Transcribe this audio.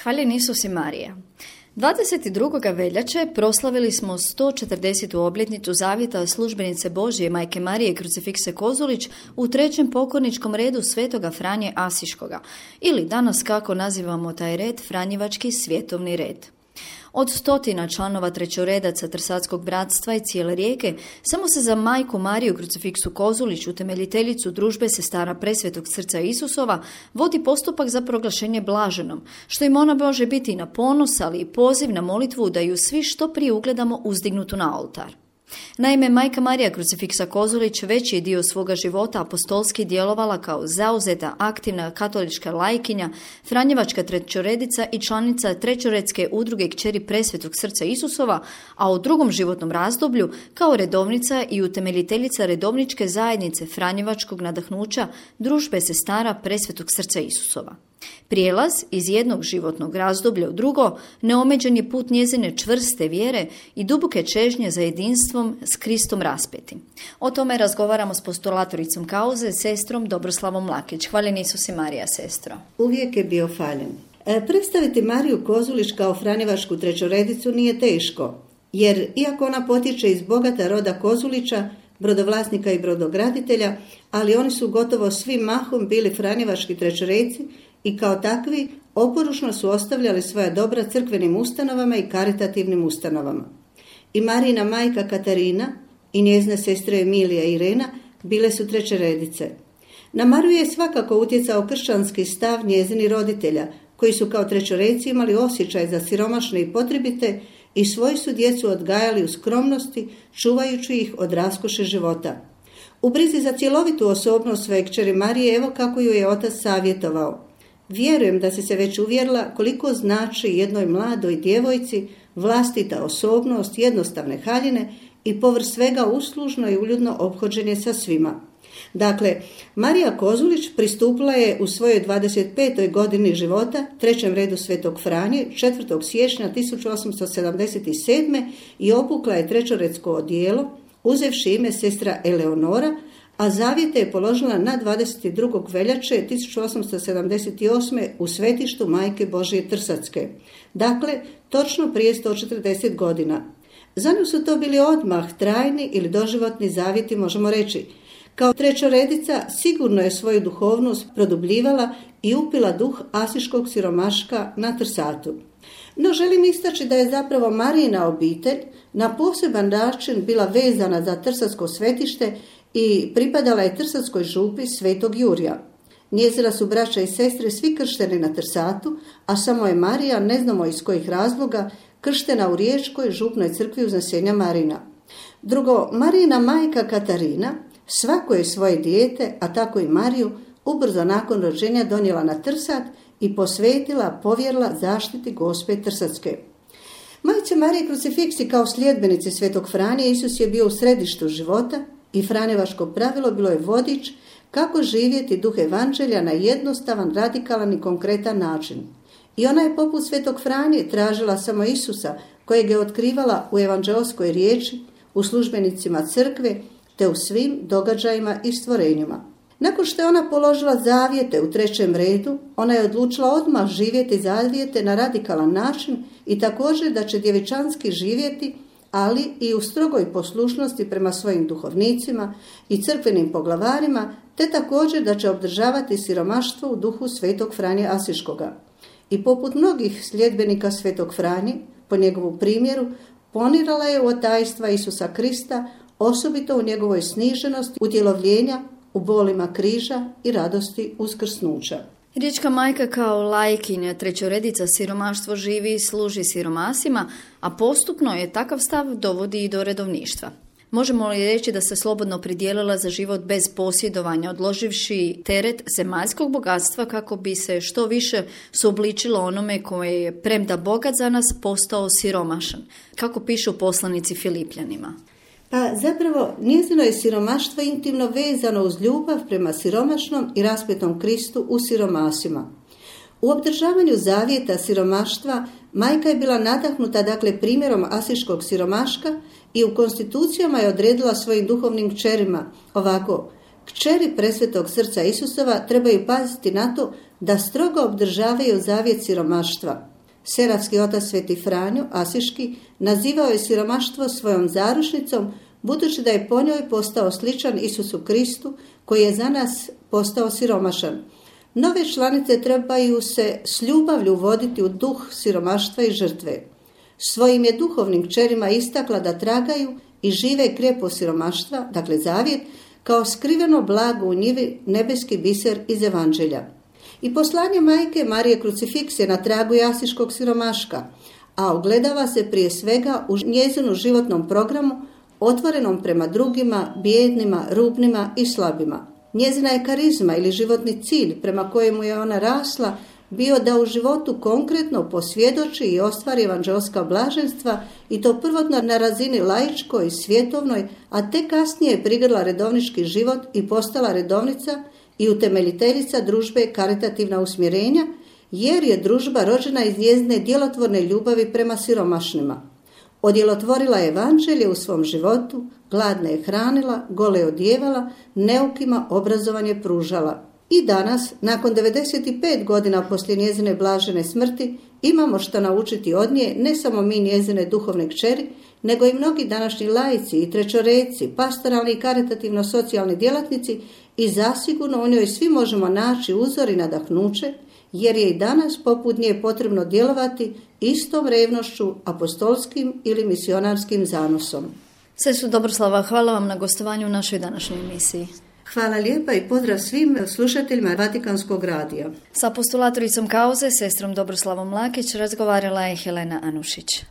Hvaljen Isus i Marija. 22. veljače proslavili smo 140. obljetnicu zavjeta službenice Božje Majke Marije Krucifikse Kozulić u trećem pokorničkom redu Svetoga Franje Asiškoga, ili danas kako nazivamo taj red, Franjevački svjetovni red. Od 100 članova trećoredaca Trsatskog bratstva i cijele Rijeke, samo se za Majku Mariju Krucifiksu Kozulić, utemeljiteljicu družbe sestara Presvetog srca Isusova, vodi postupak za proglašenje blaženom, što im ona može biti i na ponos, ali i poziv na molitvu da ju svi što prije ugledamo uzdignutu na oltar. Naime, Majka Marija Krucifiksa Kozulić veći dio svoga života apostolski djelovala kao zauzeta, aktivna katolička lajkinja, franjevačka trećoredica i članica trećoredske udruge Kćeri Presvetog srca Isusova, a u drugom životnom razdoblju kao redovnica i utemeljiteljica redovničke zajednice Franjevačkog nadahnuća družbe sestara Presvetog srca Isusova. Prijelaz iz jednog životnog razdoblja u drugo neomeđen je put njezine čvrste vjere i duboke čežnje za jedinstvom s Kristom raspetim. O tome razgovaramo s postulatoricom kauze, sestrom Dobroslavom Mlakić. Hvaljen Isus i Marija, sestro. Uvijek je bio faljen. Predstaviti Mariju Kozulić kao franjevačku trećoredicu nije teško, jer iako ona potječe iz bogata roda Kozulića, brodovlasnika i brodograditelja, ali oni su gotovo svi mahom bili franjevački trećoredci i kao takvi oporušno su ostavljali svoja dobra crkvenim ustanovama i karitativnim ustanovama. I Marijina majka Katarina i njezine sestre Emilija i Irena bile su trećeredice. Na Mariju je svakako utjecao kršćanski stav njezini roditelja, koji su kao trećoredci imali osjećaj za siromašne i potrebite i svoju su djecu odgajali u skromnosti, čuvajući ih od raskoše života. U brizi za cjelovitu osobnost svoje kćeri Marije, evo kako ju je otac savjetovao. Vjerujem da si se već uvjerila koliko znači jednoj mladoj djevojci vlastita osobnost, jednostavne haljine i povrh svega uslužno i uljudno ophođenje sa svima. Dakle, Marija Kozulić pristupila je u svojoj 25. godini života trećem redu Svetog Franje 4. siječnja 1877. i obukla je trećoredsko odijelo, uzevši ime sestra Eleonora, a zavjete je položila na 22. veljače 1878. u svetištu Majke Božje Trsatske. Dakle, točno prije 140 godina. Za nju su to bili odmah trajni ili doživotni zavjeti, možemo reći. Kao trećoredica sigurno je svoju duhovnost produbljivala i upila duh asiškog siromaška na Trsatu. No želim istaći da je zapravo Marijina obitelj na poseban način bila vezana za Trsatsko svetište i pripadala je Trsatskoj župi Svetog Jurija. Njezina su braća i sestre svi kršteni na Trsatu, a samo je Marija, ne znamo iz kojih razloga, krštena u Riječkoj župnoj crkvi Uznesenja Marina. Drugo, Marijina majka Katarina svako je svoje dijete, a tako i Mariju, ubrzo nakon rođenja donijela na Trsat i posvetila, povjerila zaštiti Gospe Trsatske. Majci Marije Krucifiksi kao sljedbenici Svetog Franje Isus je bio u središtu života i franjevačko pravilo bilo je vodič kako živjeti duh evanđelja na jednostavan, radikalan i konkretan način. I ona je poput Svetog Franje tražila samo Isusa, kojeg je otkrivala u evanđeoskoj riječi, u službenicima crkve, te u svim događajima i stvorenjima. Nakon što je ona položila zavjete u trećem redu, ona je odlučila odmah živjeti zavjete na radikalan način i također da će djevičanski živjeti, ali i u strogoj poslušnosti prema svojim duhovnicima i crkvenim poglavarima, te također da će obdržavati siromaštvo u duhu Svetog Franje Asiškoga. I poput mnogih sljedbenika Svetog Franje, po njegovu primjeru, ponirala je u otajstva Isusa Krista, osobito u njegovoj sniženosti, utjelovljenja, u bolima križa i radosti uskrsnuća. Riječka majka kao lajkinja trećoredica siromaštvo živi i služi siromasima, a postupno je takav stav dovodi i do redovništva. Možemo li reći da se slobodno pridijelila za život bez posjedovanja, odloživši teret zemaljskog bogatstva kako bi se što više suobličilo onome koje je, premda bogat za nas, postao siromašan, kako piše u poslanici Filipljanima? Pa zapravo njezino je siromaštvo intimno vezano uz ljubav prema siromašnom i raspetom Kristu u siromasima. U obdržavanju zavjeta siromaštva majka je bila nadahnuta primjerom asiškog siromaška i u konstitucijama je odredila svojim duhovnim kćerima ovako: kćeri Presvetog srca Isusova trebaju paziti na to da strogo obdržavaju zavjet siromaštva. Seratski otac Sveti Franjo Asiški nazivao je siromaštvo svojom zaručnicom, budući da je po njoj postao sličan Isusu Kristu, koji je za nas postao siromašan. Nove članice trebaju se s ljubavlju voditi u duh siromaštva i žrtve. Svojim je duhovnim kćerima istakla da tragaju i žive krijepo siromaštva, dakle zavjet, kao skriveno blago u njivi, nebeski biser iz Evanđelja. I poslanje majke Marije Krucifiks je na tragu asiškog siromaška, a ogledava se prije svega u njezinu životnom programu, otvorenom prema drugima, bijednima, rubnima i slabima. Njezina je karizma ili životni cilj prema kojemu je ona rasla bio da u životu konkretno posvjedoči i ostvari evanđelska blaženstva, i to prvotno na razini laičkoj, svjetovnoj, a tek kasnije je prigrla redovnički život i postala redovnica i utemeljiteljica družbe Karitativna usmjerenja, jer je družba rođena iz njezine djelotvorne ljubavi prema siromašnima. Odjelotvorila je evanđelje u svom životu, gladne je hranila, gole odjevala, neukima obrazovanje pružala. I danas, nakon 95 godina poslije njezine blažene smrti, imamo što naučiti od nje, ne samo mi njezine duhovne kćeri, nego i mnogi današnji laici i trećoreci, pastoralni i karitativno-socijalni djelatnici, i zasigurno u njoj svi možemo naći uzor i nadahnuće, jer je i danas poput nje potrebno djelovati istom revnošću, apostolskim ili misionarskim zanosom. Sestro Dobroslava, hvala vam na gostovanju u našoj današnjoj emisiji. Hvala lijepa i pozdrav svim slušateljima Vatikanskog radija. Sa apostolatoricom Kauze, sestrom Dobroslavom Lakić, razgovarala je Helena Anušić.